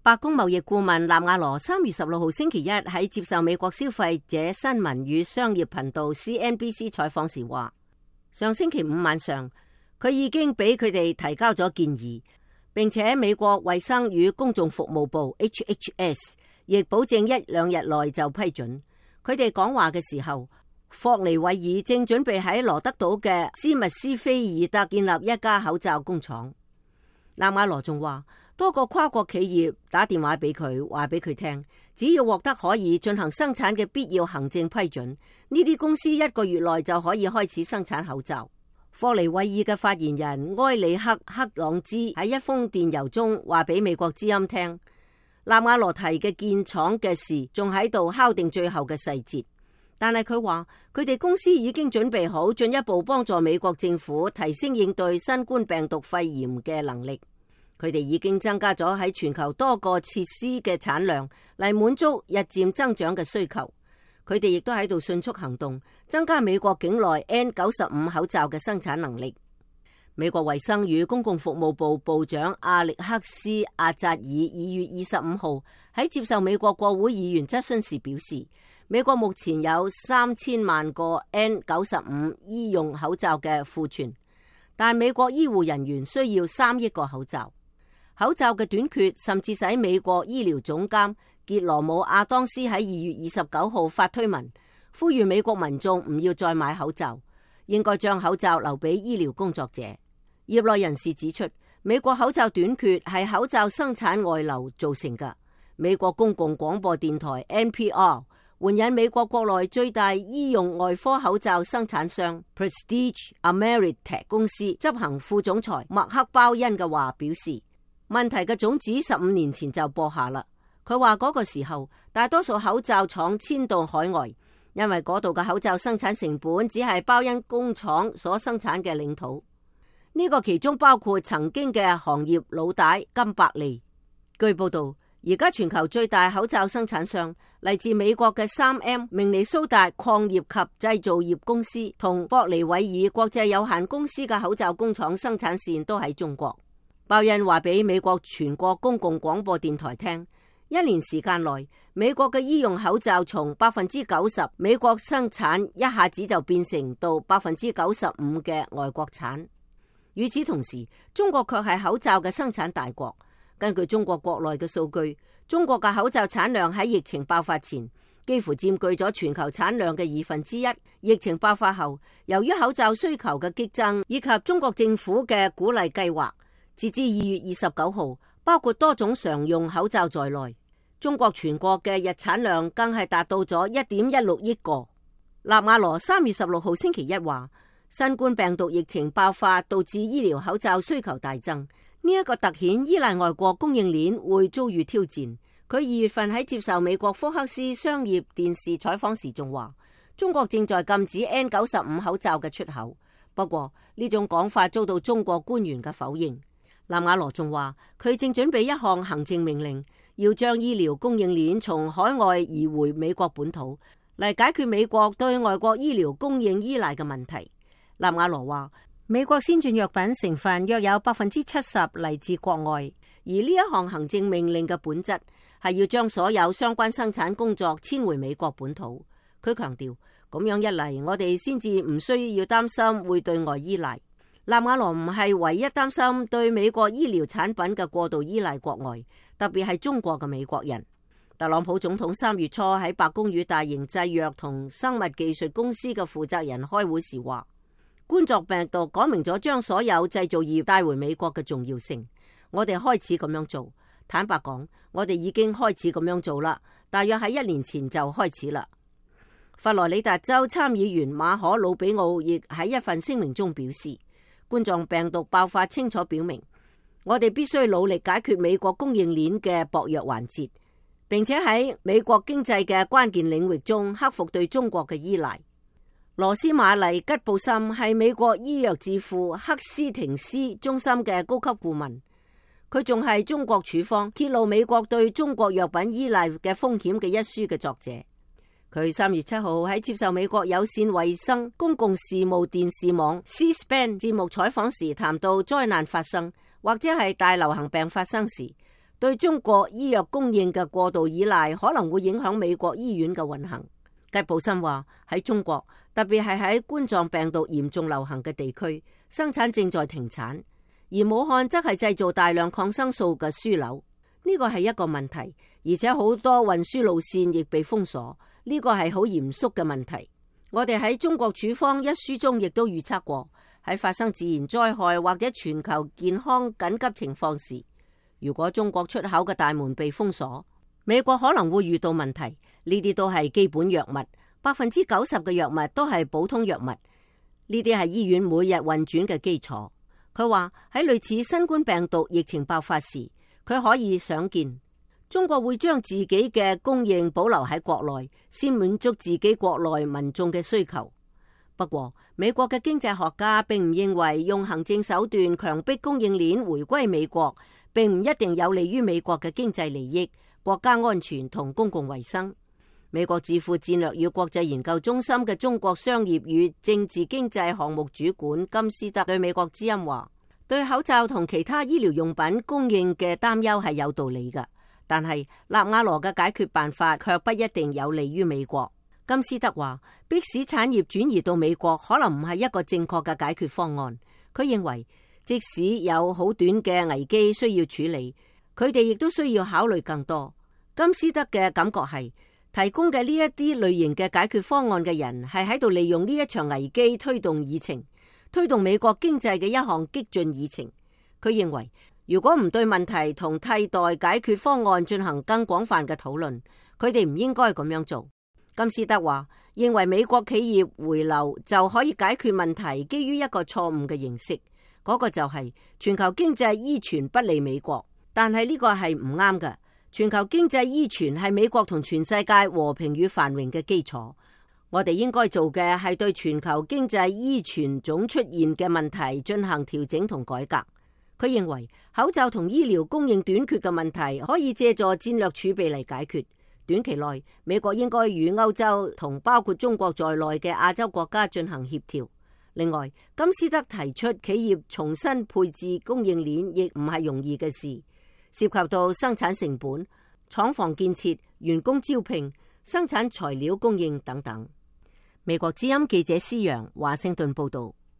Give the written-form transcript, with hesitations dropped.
白宮貿易顧問納瓦羅3月16號星期一喺接受美國消費者新聞與商業頻道 CNBC 採訪時話，上星期五晚上佢已經俾佢哋提交咗建議，並且美國衛生與公眾服務部 HHS 亦保證1-2日內就批准。佢哋講話嘅時候，霍尼韋爾正準備喺羅德島嘅斯密斯菲爾德建立一家口罩工廠。納瓦羅仲話，多個跨國企業打電話俾佢，話俾佢聽，只要獲得可以進行生產嘅必要行政批准，呢啲公司1個月內就可以開始生產口罩。霍尼韋爾嘅發言人埃里克·克朗茲喺一封電郵中話俾美國之音聽，納瓦羅提嘅建廠嘅事仲喺度敲定最後嘅細節，但係佢話佢哋公司已經準備好進一步幫助美國政府提升應對新冠病毒肺炎嘅能力。佢哋已經增加咗喺全球多個設施嘅產量嚟滿足日漸增長嘅需求。佢哋亦都喺度迅速行動，增加美國境內 N95 口罩嘅生產能力。美國衛生與公共服務部部長阿力克斯·阿扎爾2月25號喺接受美國國會議員質詢時表示，美國目前有3000萬個 N95 醫用口罩嘅庫存，但美國醫護人員需要3億個口罩。口罩嘅短缺甚至使美國醫療總監傑羅姆·亞當斯喺2月29號發推文，呼籲美國民眾唔要再買口罩，應該將口罩留俾醫療工作者。業內人士指出，美國口罩短缺係口罩生產外流造成嘅。美國公共廣播電台 NPR 援引美國國內最大醫用外科口罩生產商 Prestige Ameritech 公司執行副總裁麥克鮑恩嘅話表示，問題嘅種子15年前就播下啦。佢話嗰個時候，大多數口罩廠遷到海外，因為嗰度嘅口罩生產成本只係鮑恩工廠所生產嘅領土。呢個其中包括曾經嘅行業老大金百利。據報道，而家全球最大口罩生產商嚟自美國嘅 3M 明尼蘇達礦業及製造業公司同霍尼韋爾國際有限公司嘅口罩工廠生產線都喺中國。鮑恩話俾美國全國公共廣播電台聽，1年時間內，美國嘅醫用口罩從90%美國生產一下子就變成到95%嘅外國產。與此同時，中國卻係口罩嘅生產大國。根據中國國內嘅數據，中國嘅口罩產量喺疫情爆發前幾乎佔據咗全球產量嘅1/2。疫情爆發後，由於口罩需求嘅激增以及中國政府嘅鼓勵計劃，截至2月29號，包括多種常用口罩在內，中國全國嘅日產量更係達到咗1.16億個。納瓦羅3月16號星期一話，新冠病毒疫情爆發導致醫療口罩需求大增，呢一個凸顯依賴外國供應鏈會遭遇挑戰。佢2月份喺接受美國福克斯商業電視採訪時仲話，中國正在禁止 N95 口罩嘅出口，不過呢種講法遭到中國官員嘅否認。納瓦羅仲話，佢正準備一項行政命令，要將醫療供應鏈從海外移回美國本土，嚟解決美國對外國醫療供應依賴嘅問題。納瓦羅話，美國先進藥品成分約有70%嚟自國外，而呢一項行政命令嘅本質係要將所有相關生產工作遷回美國本土。佢強調，咁樣一嚟，我哋先至唔需要擔心會對外依賴。納瓦羅唔係唯一擔心對美國醫療產品嘅過度依賴國外，特別係中國嘅美國人。特朗普總統3月初喺白宮與大型製藥同生物技術公司嘅負責人開會時話，冠狀病毒講明咗將所有製造業帶回美國嘅重要性。我哋開始咁樣做。坦白講，我哋已經開始咁樣做啦，大約喺1年前就開始啦。佛羅里達州參議員馬可魯比奧亦喺一份聲明中表示，冠狀病毒爆發清楚表明，我哋必須努力解決美國供應鏈嘅薄弱環節，並且喺美國經濟嘅關鍵領域中克服對中國嘅依賴。羅斯瑪麗吉布森係美國醫藥智庫克斯廷斯中心嘅高級顧問，佢仲係中國處方揭露美國對中國藥品依賴嘅風險嘅一書嘅作者。佢3月7號喺接受美國有線衛生公共事務電視網 C-SPAN 節目採訪時談到災難發生或者係大流行病發生時，對中國醫藥供應嘅過度依賴可能會影響美國醫院嘅運行。吉普森話喺中國，特別係喺冠狀病毒嚴重流行嘅地區，生產正在停產，而武漢則係製造大量抗生素嘅樞紐。呢個係一個問題，而且好多運輸路線亦被封鎖，呢個係好嚴肅嘅問題。我哋喺中國處方一書中亦都預測過，喺發生自然災害或者全球健康緊急情況時，如果中國出口嘅大門被封鎖，美國可能會遇到問題。呢啲都係基本藥物，90%嘅藥物都係普通藥物，呢啲係醫院每日運轉嘅基礎。佢話喺類似新冠病毒疫情爆發時，佢可以想見中國會將自己嘅供應保留喺國內，先滿足自己國內民眾嘅需求。不過，美國嘅經濟學家並唔認為用行政手段強迫供應鏈回歸美國，並唔一定有利於美國嘅經濟利益、國家安全同公共衛生。美國智庫戰略與國際研究中心嘅中國商業與政治經濟項目主管金斯特對美國之音話，對口罩同其他醫療用品供應嘅擔憂係有道理㗎，但係納瓦羅嘅解決辦法卻不一定有利於美國。金斯特話，迫使產業轉移到美國可能唔係一個正確嘅解決方案。佢認為，即使有好短嘅危機需要處理，佢哋亦都需要考慮更多。金斯特嘅感覺係，提供嘅呢一啲類型嘅解決方案嘅人係喺度利用呢一場危機推動議程，推動美國經濟嘅一項激進議程。佢認為，如果唔對問題同替代解決方案進行更廣泛嘅討論，佢哋唔應該咁樣做。金斯特話，認為美國企業回流就可以解決問題，基於一個錯誤嘅認識，嗰個就係全球經濟依存不利美國，但係呢個係唔啱嘅。全球經濟依存係美國同全世界和平與繁榮嘅基礎。我哋應該做嘅係對全球經濟依存總出現嘅問題進行調整同改革。佢認為口罩同醫療供應短缺嘅問題可以借助戰略儲備嚟解決。短期內，美國應該與歐洲同包括中國在內嘅亞洲國家進行協調。另外，金斯特提出企業重新配置供應鏈亦唔係容易嘅事，涉及到生產成本、廠房建設、員工招聘、生產材料供應等等。美國之音記者施洋華盛頓報道。